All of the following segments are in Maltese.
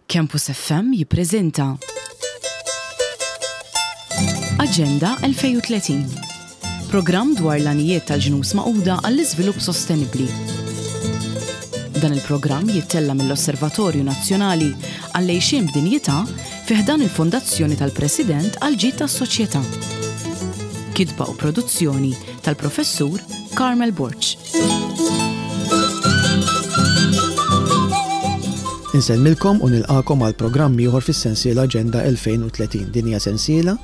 Campus FM jippreżenta Aġenda 2030. Programm dwar l-għanijiet tal-Ġnus Magħquda għall-Iżvilupp Sostenibbli. Dan il-programm jittella' mill-Osservatorju Nazzjonali għall-Għixien b'Dinjità fi ħdan il-Fondazzjoni tal-President għall-Ġid tas-Soċjetà. Kitba u produzzjoni tal-Professur Carmel Borg. Insellmilkom u nilqagħkom għal programm ieħor fis-sensiela Aġenda 2030. Din hija sensiela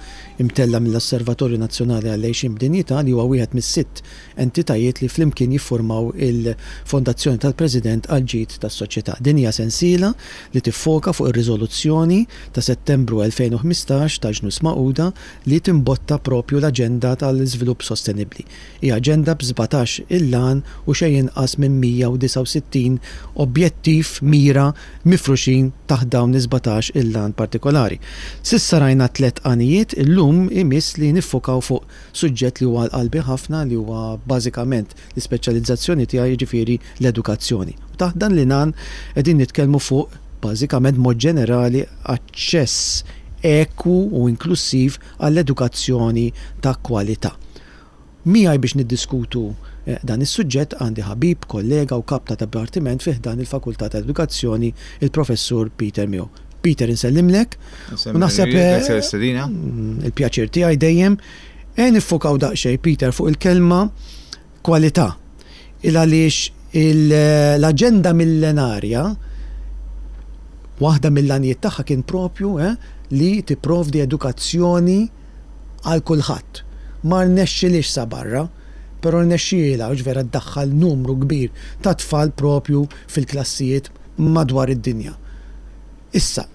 imtella' mill-Osservatorju Nazzjonali għall-Għixien b'Dinjità li huwa wieħed mis-sitt entitajiet li flimkien jiffurmaw il-Fondazzjoni tal-President għall-Ġid tas-Soċjetà. Din hija sensiela li tiffoka fuq ir-riżoluzzjoni ta' Settembru 2015 tal-Ġnus Magħquda li timbotta propju l-Aġenda tal-Iżvilupp Sostenibbli. Hi aġenda b' 17 il-għan u xejn inqas minn 169 objettiv, mira, mifruxin taħt dawn is-17 il-għan partikolari. S'issa rajna tlett għanijiet, illum imiss li niffokaw fuq suġġett li huwa għal qalbi ħafna li huwa bażikament l-ispeċjalizzazzjoni tiegħi jiġifieri l-edukazzjoni. U taħt dan l-għan qegħdin nitkellmu fuq bażikament b'mod ġenerali aċċess ekwu u inklussiv għall-edukazzjoni ta' kwalità. Miegħi biex niddiskutu dan is-suġġett għandi ħabib, kollega u kap ta' dipartiment fi ħdan il-Fakultà tal-Edukazzjoni, il-Professur Peter Meo. Peter insellimlek u naħseb il-pjaċir tiegħi dejjem. Ejja niffokaw daqsxejn Peter fuq il-kelma kwalità. Il għaliex l-aġenda millenarja waħda mill-għanijiet tagħha kien propju li tipprovdi edukazzjoni għal kulħadd. Ma rnexxilhiex sa barra, però rnexxielha hux vera ddaħħal numru kbir ta' tfal propju fil-klassijiet madwar id-dinja. Issa,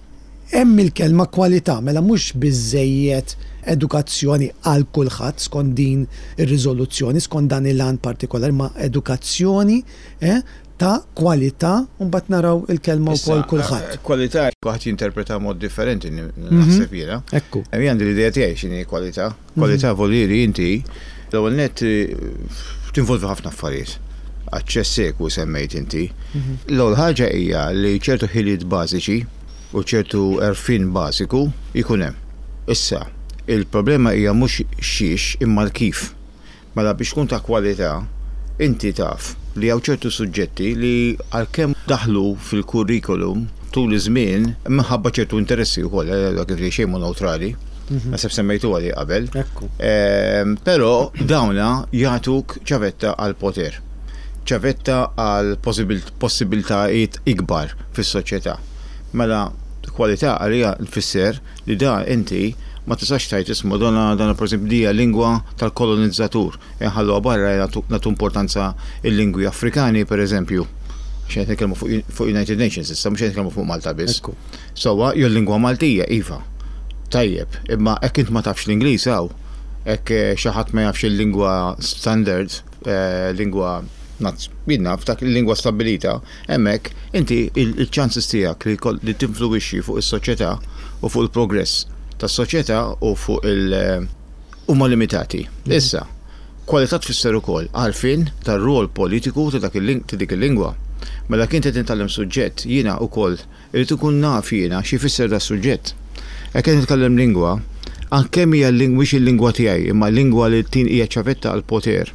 hemm il-kelma kwalità, mela mhux biżżejjed edukazzjoni għal kulħadd skont din ir-riżoluzzjoni, skont dan il-għan partikolari, ma edukazzjoni eh, ta' kwalità u mbagħad naraw il-kelma wkoll kulħadd. Kwalità kulħadd jinterpreta mod differenti naħseb jiena. Ekku. Jien għandi l-idea tiegħi x'inhi kwalità. Kwalità voliri inti l-ewwel nett tinvolvi ħafna affarijiet. Aċċess ekwu semmejt inti. L-ewwel ħaġa hija li ċertu ħiliet bażiċi u ċertu għerfien bażiku jkun hemm. Issa, il-problema hija mhux xiex imma l-kif. Mela biex tkun ta' kwalità, inti taf li hawn ċertu suġġetti li għalkemm daħlu fil-kurrikulum tul iż-żmien minħabba ċertu interessi wkoll, eh, dak li xejn mhu newtrali. Mhm. Naħseb semmejtuha li qabel. Ehm, però dawna jagħtuk ċavetta għal poter. Ċavetta għal possibiltajiet ikbar fis-soċjetà. Mela kwalità għalija tfisser li da inti ma tistax tgħid isma' dana dana pereżempju di hija lingwa tal-kolonizzatur, inħalluha barra nagħtu importanza il-lingwi Afrikani pereżempju. Għax qed nitkellmu fuq United Nations issa mhux qed nitkellmu fuq Malta biss. Sewwa jew lingwa Maltija iva. Tajjeb, imma hekk int ma tafx l-Ingliż hawn, hekk xi ħadd ma jafx il-lingwa standard, lingwa jien naf dak il-lingwa stabbilita, Hemmhekk, inti il-chances tiegħek li li tinfluwixxi fuq is-soċjetà u fuq il-progress tas-soċjetà u fuq il- huma limitati. Issa, kwalità tfisser ukoll għarfien tar-rwol politiku ta' dak ta' dik il-lingwa. Mela jekk inti qed titgħallem suġġett, jiena wkoll irid inkun naf jiena xi jfisser das-suġġett. Jekk qed nitkellem lingwa, anke kemm hija mhix il-lingwa tiegħi imma lingwa li tin hija ċavetta għall-poter,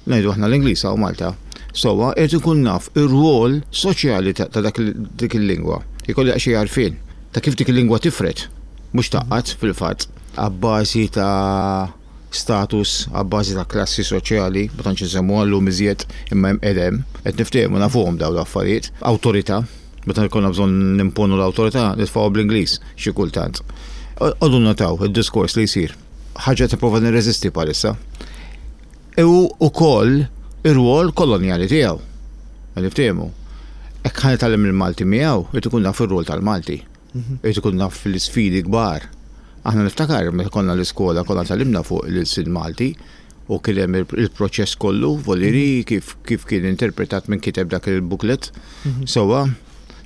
ngħidu aħna l-Ingliż hawn Malta, sewwa irid inkun naf ir-rwol soċjali ta' dak dik il-lingwa. Ikolli daqsxejn għarfien ta' kif dik il-lingwa tifred, mhux tgħaqqad fil-fatt, abbażi ta' status, abbażi ta' klassi soċjali, ma tantx insemmuha llum iżjed imma hemm qed hemm, qed niftehmu nafuhom dawn l-affarijiet, awtorità, meta jkollna bżonn nimponu l-awtorità nitfgħuha bl-Ingliż xi kultant. Qogħdu nnotaw id-diskors li jsir. Ħaġa qed nipprova nirreżisti bħalissa. U wkoll ir-rwol kolonjali tiegħu. Ma niftehmu. Hekk ħa nitgħallem il-Malti miegħu, irid ikun naf ir-rwol tal-Malti. Mhm. Irid ikun naf l-isfidi kbar. Aħna niftakar meta konna l-iskola konna tgħallimna fuq l-ilsien Malti u kien hemm il-proċess kollu, voliri mhm. kif, kif kien interpretat minn kiteb dak il-booklet. Mhm. Sewwa,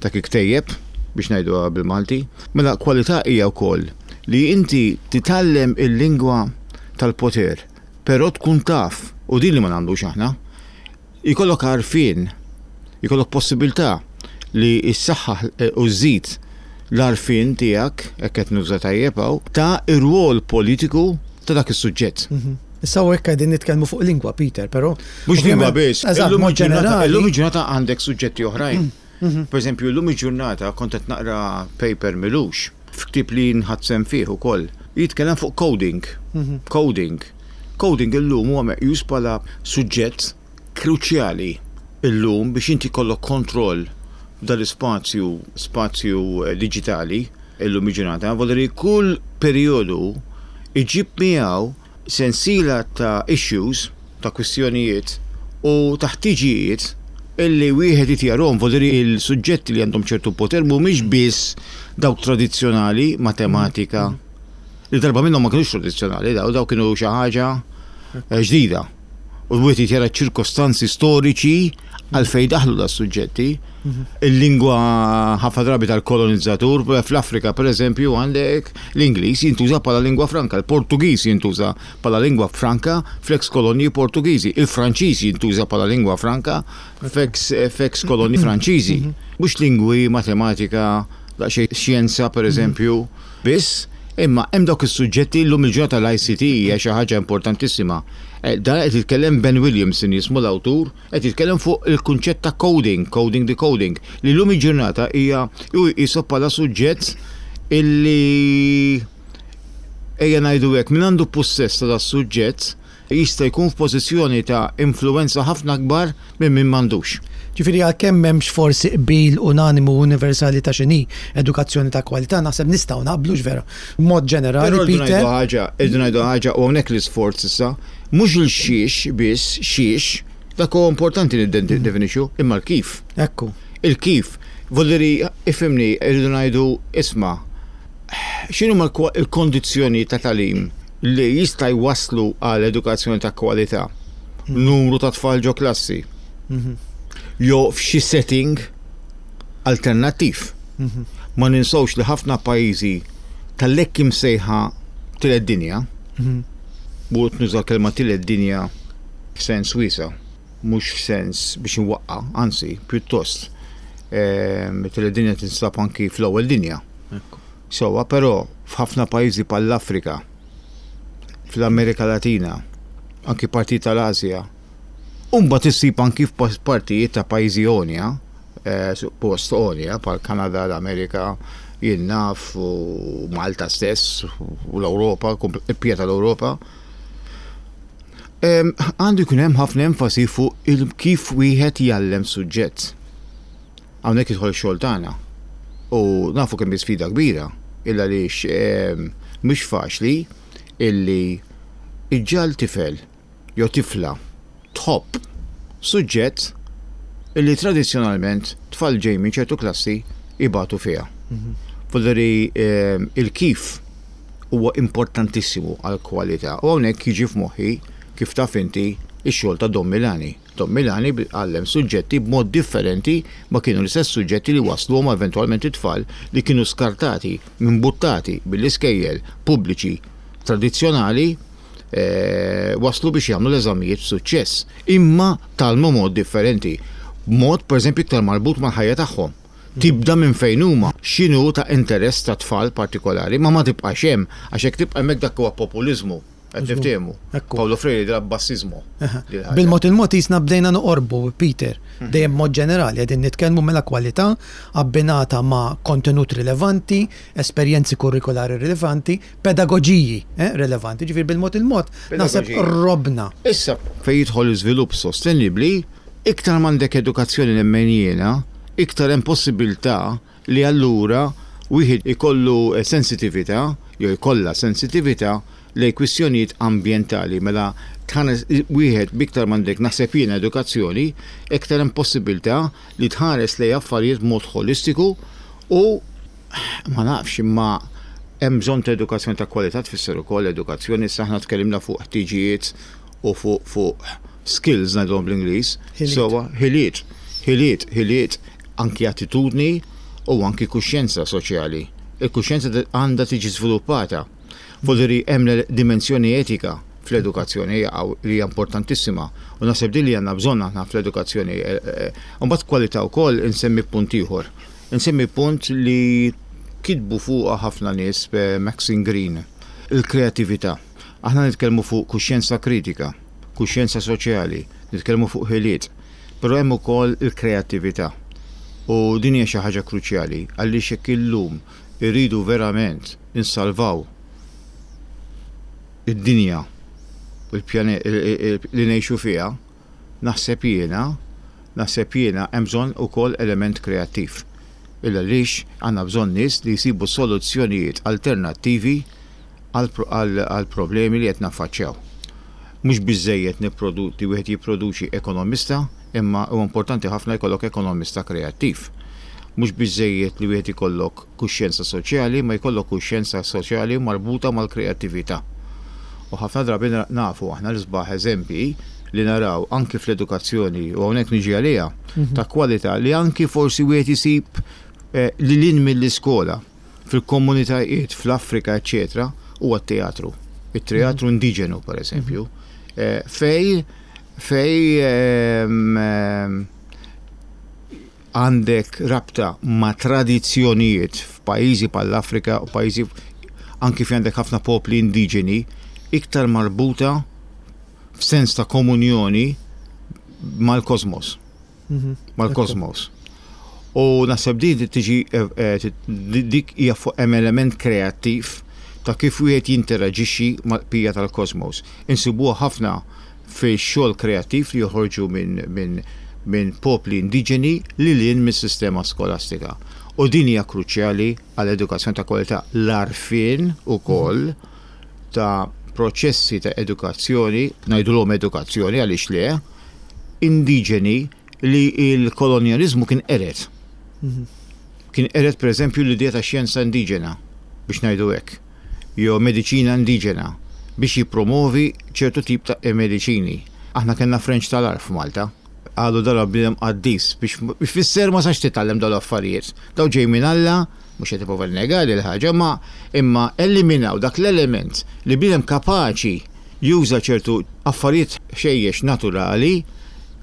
dak il-ktejjeb biex ngħidu bil-Malti. Mela kwalità hija wkoll li inti titgħallem il-lingwa tal-poter Però tkun taf, u din li ma nagħmlux aħna, jkollok għarfien, jkollok possibilità li ssaħħaħ u żżid. l-għarfien tiegħek, hekk qed nuża tajjeb hawn, ta' ir-rwol politiku ta' dak is-suġġett. Issa hawnhekk qegħdin nitkellmu fuq lingwa, Peter, però. Mhux lingwa biss, Eżatt, illum mod il-ġurnata ġenerali. illum il-ġurnata għandek suġġetti oħrajn. Per eżempju, illum il-ġurnata kont qed naqra paper m'ilux f'ktieb li jien ħadt sehem fih ukoll. Jitkellem fuq coding. Coding. Coding illum huwa meqjus bħala suġġett kruċjali illum biex inti jkollok kontroll f'dal-ispazju, spazju diġitali illum il-ġurnata, vuol dire kull perjodu iġib miegħu sensiela ta' issues, ta' kwistjonijiet u ta' ħtiġijiet illi wieħed irid jarahom, vuol dire il-suġġetti li għandhom ċertu poter mhumiex biss dawk tradizzjonali, matematika, li darba minnhom ma kinux tradizzjonali daw, daw kienu xi ħaġa ġdida. U wieħed irid jara ċ-ċirkostanzi storiċi għalfejn daħlu da suġġetti. Il-lingwa ħafna drabi tal-kolonizzatur, fl-Afrika per eżempju għandek l-Ingliż jintuża bħala lingwa franka, il-Portugiż jintuża bħala lingwa franka fl-ex kolonji Portugiżi, il-Franċiż jintuża bħala lingwa franka f'ex kolonji Franċiżi. Mhux lingwi, matematika, daqsxejn xjenza per eżempju, biss, imma hemm dawk is-suġġetti llum il-ġurnata l-ICT hija xi ħaġa importantissima. Dan qed jitkellem Ben Williamson jismu l-awtur, qed jitkellem fuq il-kunċett ta' coding, coding decoding, li llum il-ġurnata hija hu jqisha bħala suġġett illi ejja ngħidu hekk min għandu pussess ta' das-suġġett jista' jkun f'pożizzjoni ta' influwenza ħafna akbar minn min m'għandux. Ġifieri għalkemm m'hemmx forsi qbil unanimu u universali ta' x'inhi edukazzjoni ta' kwalità, naħseb nistgħu naqblu, x'vera, b'mod ġenerali, Però rridu Peter. ngħidu ħaġa, irridu ngħidu ħaġa u hawnhekk l-isforz issa, mhux il-xiex biss, xiex, dak huwa importanti li niddefinixxu, imma l-kif. Ekku. Il-kif. Vuol dire, ifhimni, irridu ngħidu, isma', x'inhuma l-kondizzjonijiet ta' tagħlim li jista' jwasslu għal edukazzjoni ta' kwalità? Numru ta' tfal ġo klassi. Jew f'xi setting alternattiv. Ma ninsewx li ħafna pajjiżi tal-hekk imsejħa tielet dinja, u qed nuża l-kelma tielet dinja f'sens wiesa', mhux f'sens biex inwaqqa', anzi, pjuttost, tielet dinja tinsab anki fl-ewwel dinja. Sewwa, però f'ħafna pajjiżi bħall-Afrika, fl-Amerika Latina, anki partijiet tal-Asja, u mbagħad issib anki f'partijiet ta' pajjiżi għonja, suppost għonja bħal Kanada, l-Amerika, jien naf, u Malta stess, u l-Ewropa, il-bqija tal-Ewropa. Għandu jkun hemm ħafna enfasi fuq kif wieħed jgħallem suġġett. Hawnhekk jidħol ix-xogħol tagħna. U nafu kemm hi sfida kbira, illa għaliex mhux faċli illi iġġagħal tifel jew tifla tħobb suġġett illi tradizzjonalment tfal ġej minn ċertu klassi jbatu fiha. Vuol dire il-kif huwa importantissimu għall-kwalità u hawnhekk jiġi f'moħħi kif taf inti x-xogħol ta' Don Milani. Don Milani għallem suġġetti b'mod differenti ma kienu l-istess suġġetti li wassluhom eventwalment it-tfal li kienu skartati, imbuttati mill-iskejjel pubbliċi tradizzjonali waslu biex jagħmlu l-eżamijiet b'suċċess. Imma tgħallmu mod differenti, b'mod pereżempju iktar marbut mal-ħajja tagħhom. Tibda minn fejn huma, x'inhu ta' interess tat-tfal partikolari, ma ma tibqax hemm, għax jekk tibqa' hemmhekk dak huwa populiżmu. Qed niftehmu. Paolo Freire jgħidilha bassismo. Bil-mod il-mod qisna bdejna noqorbu, Peter. Mhm. Dejjem mod ġenerali qegħdin nitkellmu mela kwalità abbinata ma' kontenut rilevanti, esperjenzi kurrikulari rilevanti, pedagoġiji eh, rilevanti. Ġifieri bil-mod il-mod naħseb robna. Issa fejn jidħol l-iżvilupp sostenibbli, iktar m'għandek edukazzjoni nemmen jiena, iktar hemm possibilità li allura wieħed ikollu sensitività jew ikollha sensitività lejn kwistjonijiet ambjentali. Mela tħares wieħed b'iktar m'għandek naħseb jiena edukazzjoni, iktar hemm possibilità li tħares lejn affarijiet b'mod ħolistiku u ma nafx imma hemm bżonn ta' edukazzjoni ta' kwalità tfisser ukoll edukazzjoni issa aħna tkellimna fuq ħtiġijiet u fuq fuq skills ngħidulhom bl-Ingliż. Sewwa, ħiliet, ħiliet, ħiliet, anki attitudni u anki kuxjenza soċjali. Il-kuxjenza għandha tiġi żviluppata. Vuol hemm dimensjoni etika fl-edukazzjoni li hija importantissima u naħseb din li għandna bżonn aħna fl-edukazzjoni. Eh, eh, mbagħad kwalità wkoll insemmi punt ieħor. Insemmi punt li Kitbu fuqha ħafna nies, Maxine Greene, il-kreattività. Aħna nitkellmu fuq kuxjenza kritika, kuxjenza soċjali, nitkellmu fuq ħiliet, però hemm ukoll il-kreattività. U din hija xi ħaġa kruċjali għaliex jekk illum irridu verament insalvaw id-dinja u li ngħixu fiha, naħseb jiena, naħseb jiena hemm bżonn ukoll element kreattiv. Illa għaliex għandna bżonn nies li jsibu soluzzjonijiet alternattivi għall-problemi li qed naffaċċjaw. Mhux biżżejjed li wieħed jipproduċi ekonomista, imma huwa importanti ħafna jkollok ekonomista kreattiv. Mhux biżżejjed li wieħed ikollok kuxjenza soċjali, imma jkollok kuxjenza soċjali marbuta mal-kreattività. U ħafna drabi nafu aħna l-isbaħ eżempji li naraw anki fl-edukazzjoni, u hawnhekk niġi għaliha, ta' kwalità li anki forsi wieħed isib lil hinn mill-iskola, fil-komunitajiet, fl-Afrika, eċċetera, huwa t-teatru. It-teatru indiġenu, per eżempju, fej fej għandek rabta ma' tradizzjonijiet f'pajjiżi bħall-Afrika u pajjiżi anki fejn għandek ħafna popli indiġeni iktar marbuta f'sens ta' komunjoni mal-kosmos. Mal-kosmos. U naħseb din tiġi dik hija fuq hemm element kreattiv ta' kif wieħed jinteraġixxi mal-qpija tal-kosmos. Insibuha ħafna fix-xogħol kreattiv li joħorġu minn min, min popli indiġeni lil hinn mis-sistema skolastika. U din hija kruċjali għal edukazzjoni ta' kwalità. L-għarfien ukoll ta' proċessi ta' edukazzjoni, ngħidulhom edukazzjoni għaliex le, indiġeni li l-kolonjaliżmu kien qered. Kien qered pereżempju l-idea ta' xjenza indiġena, biex ngħidu hekk, jew mediċina indiġena biex jippromovi ċertu tip ta' mediċini. Aħna kellna French tal-agħar f'Malta. Qalu dan bniedem qaddis biex ifisser ma sax titgħallem dawn l-affarijiet. Dawn ġej minn Alla, mhux qed nipprova nnega din il-ħaġa, imma imma eliminaw dak l-element li bniedem kapaċi juża ċertu affarijiet ħxejjex naturali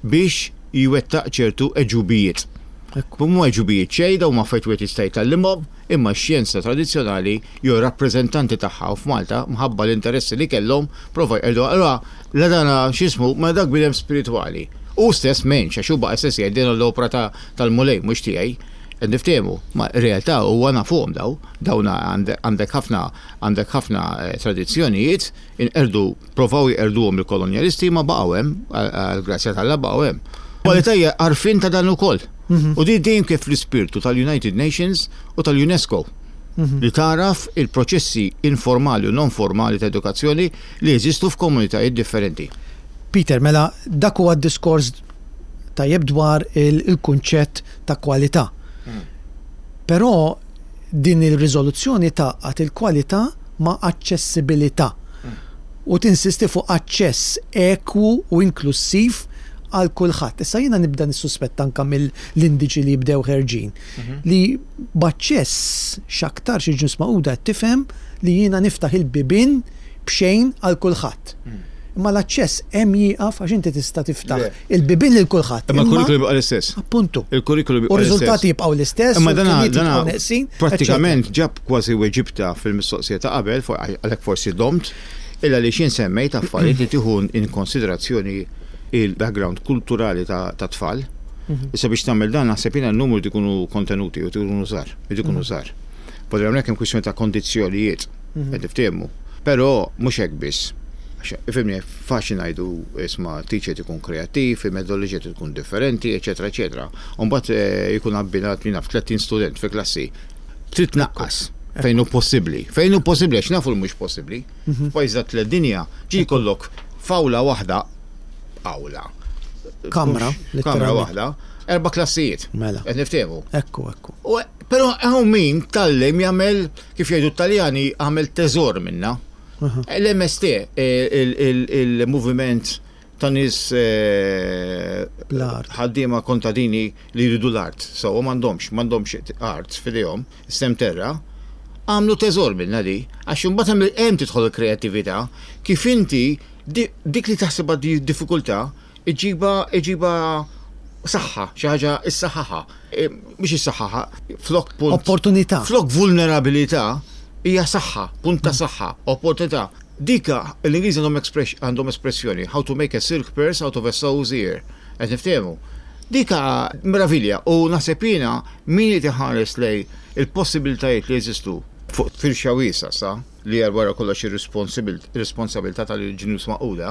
biex jwettaq ċertu għeġubijiet. Mhuma għeġubijiet xejn, dawn huma affarijiet wieħed jista' jitgħallimhom, imma x-xjenza tradizzjonali jew rappreżentanti tagħha u f'Malta mħabba l-interessi li kellhom prova jqerduha. Allura la dana x'ismu, ma dak bniedem spiritwali. Hu stess m'għenx għax hu baqa' stess jgħid din l-opra tal-Mulej mhux tiegħi. Qed niftehmu, ma r-realtà huwa nafuhom daw, dawn għandek ħafna għandek ħafna tradizzjonijiet inqerdu provaw jqerduhom il-kolonjalisti ma baqgħu hemm, għall-grazzja t'Alla baqgħu hemm. Kwalità hija għarfien ta' dan ukoll. U din dejjem kif l-ispirtu tal-United Nations u tal-UNESCO li tagħraf il-proċessi informali u non formali ta' edukazzjoni li jeżistu f'komunitajiet differenti. Peter, mela dak huwa d-diskors tajjeb dwar il-kunċett ta' kwalità. Però din ir-riżoluzzjoni tgħaqqad il-kwalità ma' aċċessibilità u tinsisti fuq aċċess ekwu u inklussiv għal kulħadd. Issa jiena nibda nissuspetta anke mill-indiċi li jibdew ħerġin li b'aċċess x'aktarx il-Ġnus Magħquda qed tifhem li jiena niftaħ il-bibien b'xejn għal kulħadd. Imma l-aċċess hemm jieqaf għax inti tista' tiftaħ il-bibien lil kulħadd. Imma l-kurrikulu jibqa' l-istess. Appuntu. Il-kurrikulu jibqa' l-istess. U r-riżultati jibqgħu l-istess. Imma dan prattikament ġab kważi weġibta fil-mistoqsija ta' qabel, għalhekk forsi domt, illa li x'jien semmejt affarijiet li tieħu in konsiderazzjoni il-background kulturali ta' tfal. Mhm. Issa biex tagħmel dan naħseb jiena n-numru ikunu kontenuti u ikunu żgħar, ikunu mhm. żgħar. Podri hawnhekk hemm kwistjoni ta' kondizzjonijiet, mhm. qed niftehmu. Però mhux hekk biss. Ifhimni, faċli ngħidu isma' teacher ikun kreattiv, il-metodoloġija tkun differenti, eċetera, eċetera. U mbagħad eh, jkun abbinat minn naf 30 student fi klassi. Trid tnaqqas fejn hu possibbli. Fejn hu possibbli għax nafu li mhux possibbli. Mhm. F'pajjiż ta' dinja ġi jkollok f'awla waħda awla. Kamra, kamra waħda, erba' klassijiet. Mela. Qed niftehmu. Ekku, ekku. Però hawn min tallem jagħmel kif jgħidu t-Taljani għamel teżor minna. L-MST, il-moviment ta' nies eh, ħaddiema kontadini li jridu l-art, so m'għandhomx, m'għandhomx art f'idejhom, sem terra, għamlu teżor minna di, għax imbagħad hemm tidħol il-kreattività, kif inti dik li taħsibha diffikultà, iġiba iġiba Saħħa, xi ħaġa issaħħaħa. E, mhux issaħħaħa, flok punt. Opportunità. Flok vulnerabilità hija saħħa, punt ta' saħħa, opportunità. Dika, l-Ingliżi għandhom espressjoni, how to make a silk purse out of a sow's ear. Qed niftehmu. Dika meravilja u naħseb jiena min irid iħares lejn il-possibilitajiet li jeżistu fuq firxa wiesgħa sa li hija wara kollox ir-responsabilità tal-Ġnus Magħquda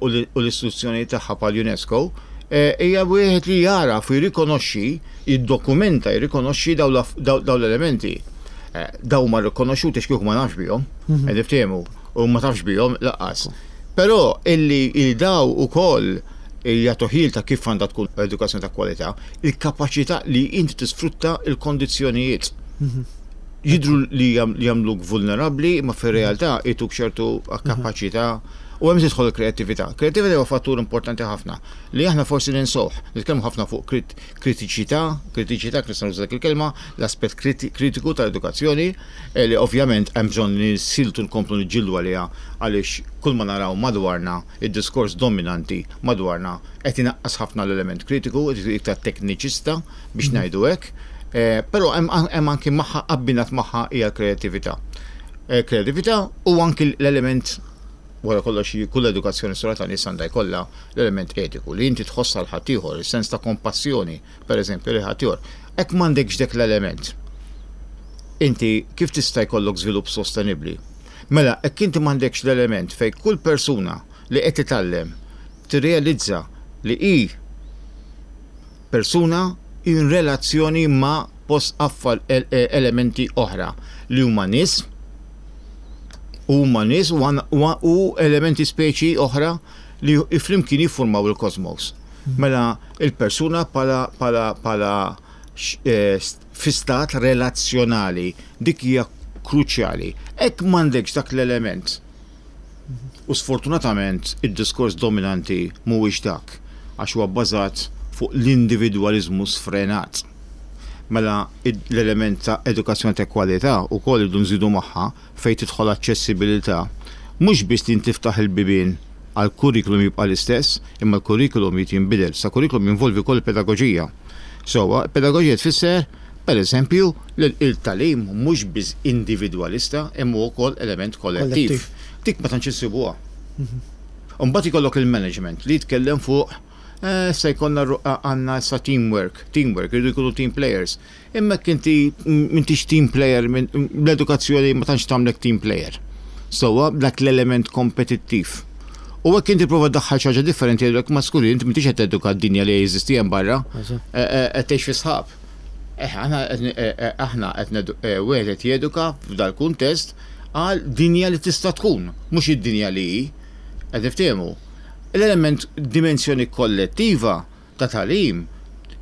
u l-istituzzjonijiet tagħha bħal UNESCO, hija wieħed li jagħraf u jirrikonoxxi, jiddokumenta, jirrikonoxxi dawn l-elementi. Dawn huma rikonoxxuti x'kieku ma nafx bihom, qed niftehmu, u ma tafx bihom lanqas. Però illi daw ukoll jagħtu ħjiel ta' kif għandha tkun edukazzjoni ta' kwalità, il-kapaċità li inti tisfrutta l-kondizzjonijiet. Jidhru li jagħmluk vulnerabbli, imma fir-realtà jtuk ċertu kapaċità u hemm tidħol il-kreattività. Kreattività huwa fattur importanti ħafna li aħna forsi ninsewh. Nitkellmu ħafna fuq kritiċità, kritiċità nista' nuża dik il-kelma, l-aspett kritiku tal-edukazzjoni eh, li ovvjament hemm bżonn li siltu nkomplu niġġieldu għaliha għaliex kull ma naraw madwarna id-diskors dominanti madwarna qed inaqqas ħafna l-element kritiku, iktar tekniċista biex ngħidu hekk. Eh, però hemm anki magħha abbinat magħha hija l-kreattività. Eh, kreattività u anki l-element wara kollox kull edukazzjoni sura ta' nies għandha jkollha l-element etiku li inti tħoss għal ħaddieħor, is-sens ta' kompassjoni, pereżempju, li ħaddieħor. Hekk m'għandekx dak l-element. Inti kif tista' jkollok żvilupp sostenibbli? Mela, hekk inti m'għandekx l-element fejn kull persuna li qed titgħallem tirrealizza li hi persuna in relazzjoni ma' post affar elementi oħra li huma nies, huma nies u elementi speċi oħra li flimkien jiffurmaw il-kosmos. Mela il-persuna pala pala pala eh, fi stat relazzjonali dik hija kruċjali. Hekk m'għandekx dak l-element U sfortunatament id-diskors dominanti mhuwiex dak, għax huwa bbażat fuq l-individwaliżmu sfrenat. Mela l-element ta' edukazzjoni ta' kwalità wkoll irridu nżidu magħha fejn tidħol aċċessibilità. Mhux biss li tiftaħ il-bibien għall-kurrikulum jibqa' l-istess, imma l-kurrikulum jrid jinbidel. Sa kurrikulum jinvolvi wkoll il-pedagoġija. Sewwa, il-pedagoġija tfisser Per eżempju, li l-tagħlim mhux biss individwalista imma wkoll element kollettiv. Dik ma tantx insibuha. Mhm. Imbagħad ikollok il-management li jitkellem fuq eh, se jkollna għandna issa teamwork, teamwork, irridu jkunu team players. Imma jekk inti m'intix team player, l-edukazzjoni ma tantx tagħmlek team player. Sewwa dak l-element kompetittiv. U hekk inti prova daħħal xi ħaġa differenti jgħidulek ma skuri inti m'intix qed teduka d-dinja li jeżisti hemm barra, eh, eh, qed tgħix fi sħab. Eh, aħna qed wieħed qed jeduka f'dal-kuntest għal dinja li tista' tkun, mhux id-dinja li hi. Qed niftehmu. L-element dimensjoni kollettiva ta' tagħlim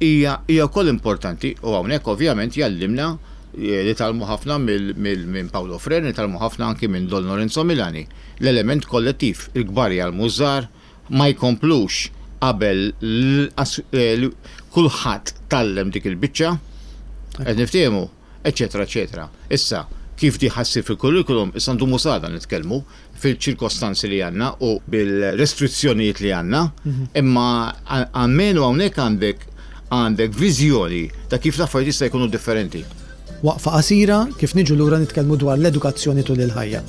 hija hija wkoll importanti u hawnhekk ovvjament jgħallimna eh, li talmu ħafna minn Paolo Freire, nitgħallmu ħafna anki minn Don Lorenzo Milani. L-element kollettiv, il-kbar jgħallmu żgħar ma jkomplux qabel eh, kulħadd tgħallem dik il-biċċa, qed niftehmu, eċetera, eċetera. Issa, kif di ħassir fil-kurrikulum, issa ndumu sada nitkellmu fil-ċirkostanzi li għandna u bil-restrizzjonijiet li għandna, mhm. imma għalmenu hawnhekk għandek għandek viżjoni ta' kif l-affarijiet jista' jkunu differenti. Waqfa qasira kif niġu lura nitkellmu dwar l-edukazzjoni tul il-ħajja.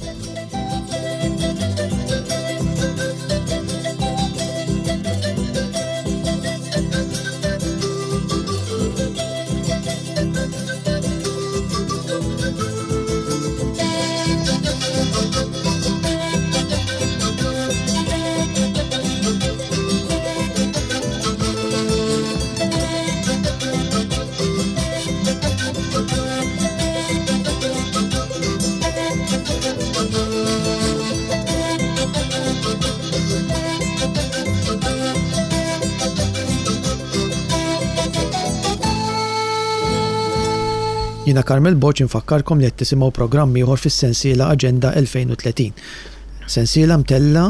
Jiena Carmel Borg infakkarkom li qed tisimgħu programm ieħor fis-sensiela Aġenda 2030. Sensiela mtellgħa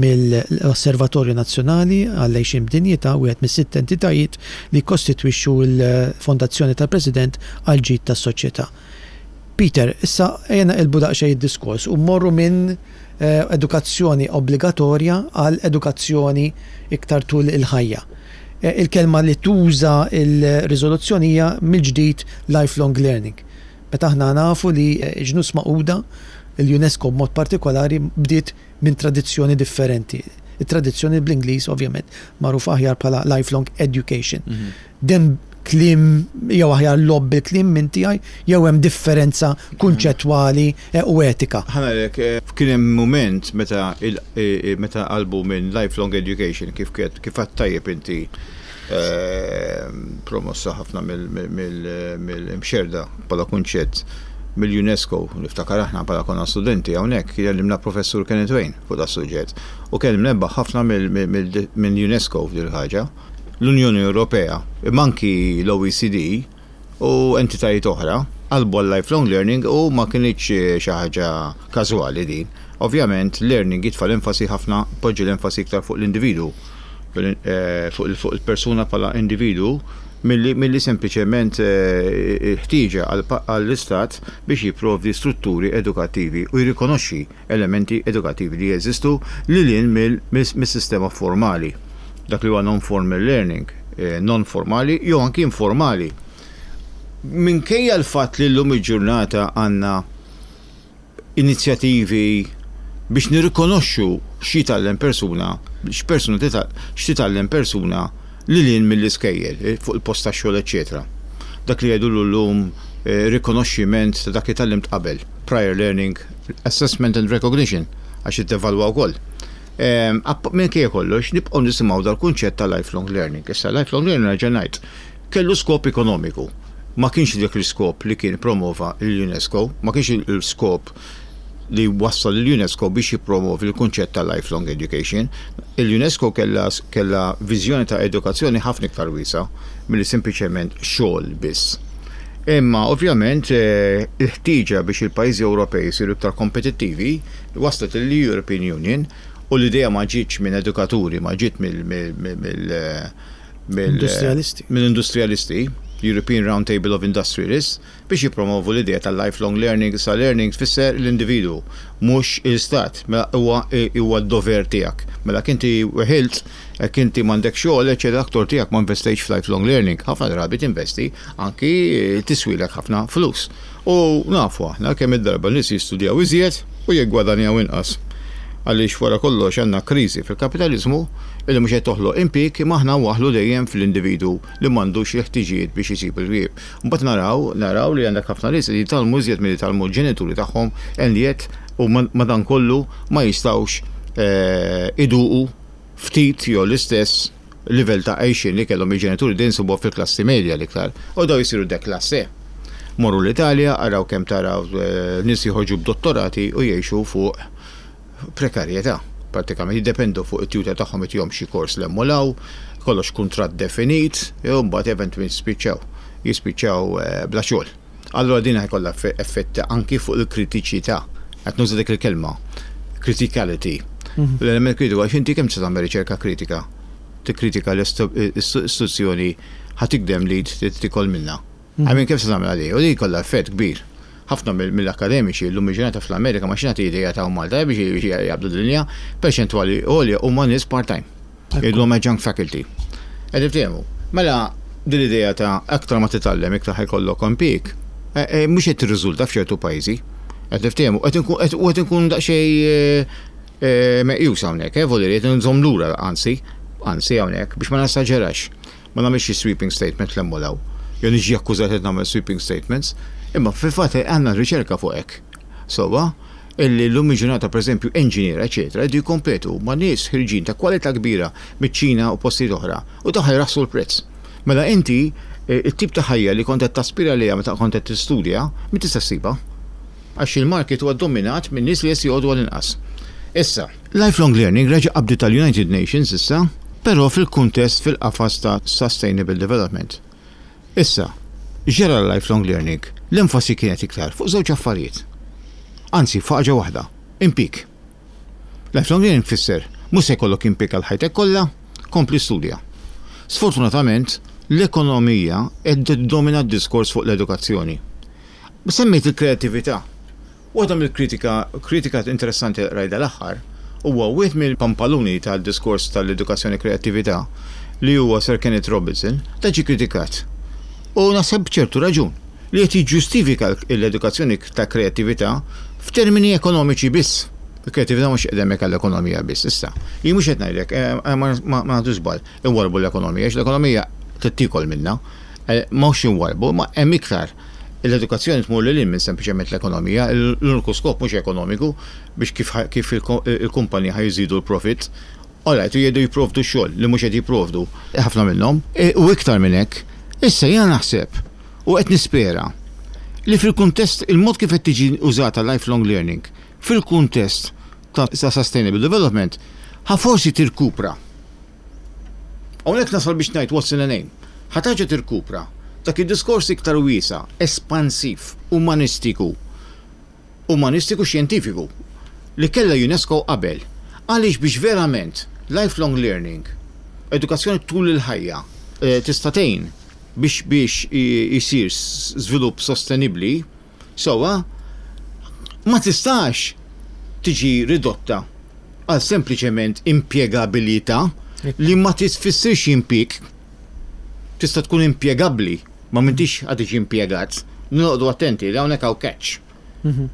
mill-Osservatorju Nazzjonali għall-Għixien b'Dinjità, wieħed mis-sitt entitajiet li jikkostitwixxu l-Fondazzjoni tal-President għall-Ġid tas-Soċjetà. Peter, issa ejja naqilbu daqsxejn id-diskors u mmorru minn edukazzjoni obbligatorja għal edukazzjoni iktar tul il-ħajja. Il-kelma li tuża l-riżoluzzjoni hija mill-ġdid lifelong learning. Meta aħna nafu li Ġnus Magħquda, il-UNESCO b'mod partikolari, bdiet minn tradizzjoni differenti. It-tradizzjoni bl-Ingliż ovvjament magħrufa aħjar bħala lifelong education. Dan kliem jew aħjar logħob bil-kliem minn tiegħi jew hemm differenza kunċettwali u etika? Ħa ngħidlek, kien hemm mument meta meta qalbu minn lifelong education kif kif għedt tajjeb inti promossa ħafna mill-imxerda bħala kunċett mill-UNESCO, niftakar aħna bħala konna studenti hawnhekk kien jgħallimna professur Kenneth Wayne fuq da suġġett u kien mnebbaħ ħafna mill-UNESCO f'dil ħaġa. L-Unjoni Ewropea, imma anki l-OECD u entitajiet oħra qalbu għal lifelong learning u ma kinitx xi ħaġa każwali din. Ovvjament learning jitfa' l-enfasi ħafna, poġġi l-enfasi iktar fuq l-individwu, fuq il-persuna bħala individwu milli sempliċement il-ħtieġa għall-istat biex jipprovdi strutturi edukattivi u jirrikonoxxi elementi edukattivi li jeżistu lil hinn mis-sistema formali, dak li huwa non-formal learning, non-formali jew anki informali. Minkejja l-fatt li llum il-ġurnata għandna inizjattivi biex nirrikonoxxu x'jitgħallem persuna, x'persuna x'titgħallem persuna lil hinn mill-iskejjel, fuq il-post tax-xogħol eċċetera. Dak li jgħidulu llum rikonoxximent ta' dak li tgħallimt qabel, prior learning assessment and recognition, għax titevalwa wkoll. Minkejja kollox, nibqgħu nisimgħu dal-kunċett ta' lifelong learning. Issa lifelong learning nerġa' ngħid, kellu skop ekonomiku. Ma kienx dak l-iskop li kien promova l-UNESCO, ma kienx l-iskop li wassal l-UNESCO biex jippromovi l-kunċett ta' lifelong education. Il-UNESCO kella, kella viżjoni ta' edukazzjoni ħafna iktar wiesgħa milli sempliċement xogħol biss. Imma ovvjament il-ħtieġa biex il-pajjiżi Ewropej jsiru iktar kompetittivi waslet l-European Union u l-idea ma ġietx minn edukaturi, ma ġiet mill Industrialisti. Mill-industrialisti, European Round Table of Industrialists, biex jippromovu l-idea tal-lifelong learning. Sa learning tfisser l-individu, mhux il-stat, mela huwa huwa d-dover tiegħek. Mela kinti weħilt, jekk inti m'għandek xogħol, eċetera, aktar tiegħek ma investejx f'lifelong learning. Ħafna drabi tinvesti anki tiswilek ħafna flus. U nafu aħna kemm id-darba nies jistudjaw iżjed u jiggwadanjaw inqas. Għaliex wara kollox għandna kriżi fil-kapitaliżmu illi mhux qed toħloq impjieg imma aħna nwaħħlu dejjem fl-individwu li m'għandux il-ħtiġijiet biex isib il-ħbieb. Mbagħad naraw naraw li għandek ħafna nies li jitgħallmu iżjed milli jitgħallmu l-ġenituri tagħhom and yet u madankollu ma jistgħux iduqu ftit jew l-istess livell ta' għejxien li kellhom il-ġenituri din insibuha fil-klassi medja l-iktar. U daw jsiru deklasse. Morru l-Italja, araw kemm taraw nies joħorġu b'dottorati u jgħixu fuq prekarjetà. Pratikament jiddependu fuq it-tutor tagħhom itihom xi kors 'l hemm u 'l hawn, kollox kuntratt definit, u mbagħad eventwalment jispiċċaw jispiċċaw bla xogħol. Allura din ħa jkollha effett anki fuq il-kritiċità. Qed nuża dik il-kelma, criticality. L-element kritiku għax inti kemm tista' tagħmel riċerka kritika? Tikkritika l-istituzzjoni ħa tikdem li tikol minnha. I mean kemm se tagħmel għalih? U din jkollha effett kbir. Ħafna mill-akkademiċi llum il-ġurnata fl-Amerika ma x'nagħti idea ta' Malta biex jaqbdu d-dinja, perċentwali għolja huma nies part-time. Jgħidulhom adjunct faculty. Qed niftehmu. Mela din l-idea ta' aktar ma titgħallem iktar ħa jkollok impjieg, mhux qed tirriżulta f'ċertu pajjiżi. Qed niftehmu, u qed inkun daqsxejn meqjus hawnhekk, voldiri qed inżomm lura anzi, anzi hawnhekk biex ma nesaġerax. Ma nagħmilx xi sweeping statement 'l hemm u 'l hawn. Jew niġi akkużat qed nagħmel sweeping statements, imma fil-fatt għandna riċerka fuq hekk. Sewwa, illi llum il-ġurnata pereżempju engineer eċetera jridu jikkompetu ma' nies ħirġin ta' kwalità kbira miċ-Ċina u postijiet oħra u dawn ħa jraħħsu l-prezz. Mela inti t-tip ta' ħajja li kont qed taspira lejha meta kont qed tistudja ma tista' ssibha. Għax il-market huwa ddominat minn nies li qed joqogħdu għal inqas. Issa, lifelong learning reġa' qabditha l-United Nations issa, però fil-kuntest fil-qafas ta' sustainable development. Issa, x'ġara l-lifelong learning? L-enfasi kienet iktar fuq żewġ affarijiet. Anzi, fuq ħaġa waħda, impjieg. Lifelong learning tfisser mhux se jkollok impjieg għal ħajtek kollha, kompli studja. Sfortunatament, l-ekonomija qed tiddomina d-diskors fuq l-edukazzjoni. Semmejt il-kreattività. Waħda mill-kritika kritika interessanti li qrajt dal-aħħar huwa wieħed mill-pampaluni tad-diskors tal-edukazzjoni kreattività. li huwa Sir Kenneth Robinson, dan ġie kritikat. U naħseb b'ċertu raġun li qed jiġġustifika l-edukazzjoni ta' kreattività f'termini ekonomiċi biss. Il-kreattività mhux qiegħda hemmhekk għall-ekonomija biss. Issa, jien mhux qed ngħidlek, eh, eh, ma naħdu żball, inwarbu l-ekonomija, għax l-ekonomija trid tiekol minnha. Eh, mhux inwarbu, ma hemm iktar. L-edukazzjoni tmur lil minn sempliċement l-ekonomija, l-uniku skop mhux ekonomiku biex kif il-kumpanija ħa jżidu l-profit. Alright, u jgħidu jipprovdu xogħol li mhux qed jipprovdu ħafna minnhom. E, u iktar minn hekk, issa jiena naħseb u qed nispera li fil-kuntest il-mod kif qed tiġi użata lifelong learning fil-kuntest ta' sustainable development ħa forsi tirkupra Hawnhekk nasal biex ngħid what's in a name. Ħa terġa' tirkupra dak id-diskors iktar wiesa', espansiv, umanistiku, umanistiku xjentifiku li kellha UNESCO qabel. Għaliex biex verament lifelong learning, edukazzjoni tul il-ħajja, tista' tgħin biex biex isir żvilupp sostenibbli, sewwa, ma tistax tiġi ridotta għal sempliċement impjegabilità li ma tfissirx impjieg. Tista' tkun impjegabbli, ma m'intix ħa tiġi impjegat. Noqogħdu attenti li hawnhekk hawn catch. Mhm.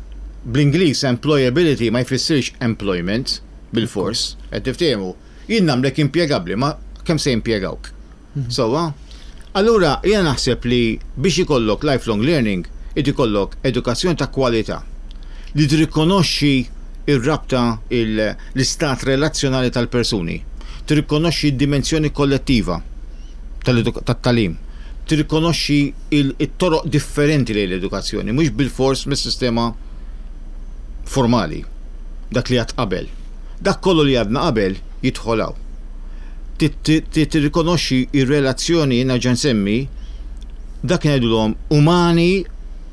Bl-Ingliż employability ma jfissirx employment bil-fors, qed tiftehmu. Jien nagħmlek impjegabbli, ma kemm se jimpjegawk? Sewwa? Allura jiena naħseb li biex ikollok lifelong learning irid ikollok edukazzjoni ta' kwalità li tirrikonoxxi r-rabta l-istat relazzjonali tal-persuni, tirrikonoxxi d-dimensjoni kollettiva tat-tagħlim, tirrikonoxxi t-toroq differenti lejn l-edukazzjoni, mhux bilfors mis-sistema formali, dak li għadt qabel. Dak kollu li għadna qabel jidħol hawn. Tirrikonoxxi r-relazzjoni, nerġa' nsemmi, dak ngħidulhom umani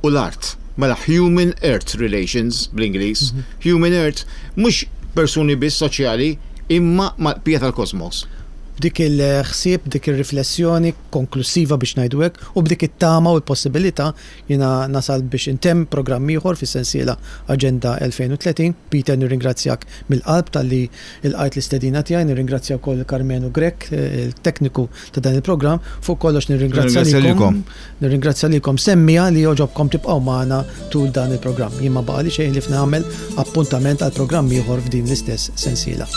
u l-art. Mela human earth relations bl-Ingliż. Mhm. Human earth mhux persuni biss soċjali imma mal-bqija tal-kosmos. B'dik il-ħsieb, dik ir-riflessjoni konklusiva biex ngħidu hekk, u b'dik it-tama u l-possibilità Jiena nasal biex intemm programm ieħor fis-sensiela Aġenda 2030. Peter nirringrazzjak mill-qalb talli lqajt l-istedina tiegħi, nirringrazzja wkoll Karmenu Grech, il-tekniku ta' dan il-programm. Fuq kollox nirringrazzja lilkom. Nirringrazzja lilkom semmiegħa li għoġobkom tibqgħu magħna tul dan il-programm. Jien ma baqali xejn ħlief nagħmel appuntament għal programm ieħor f'din l-istess sensiela.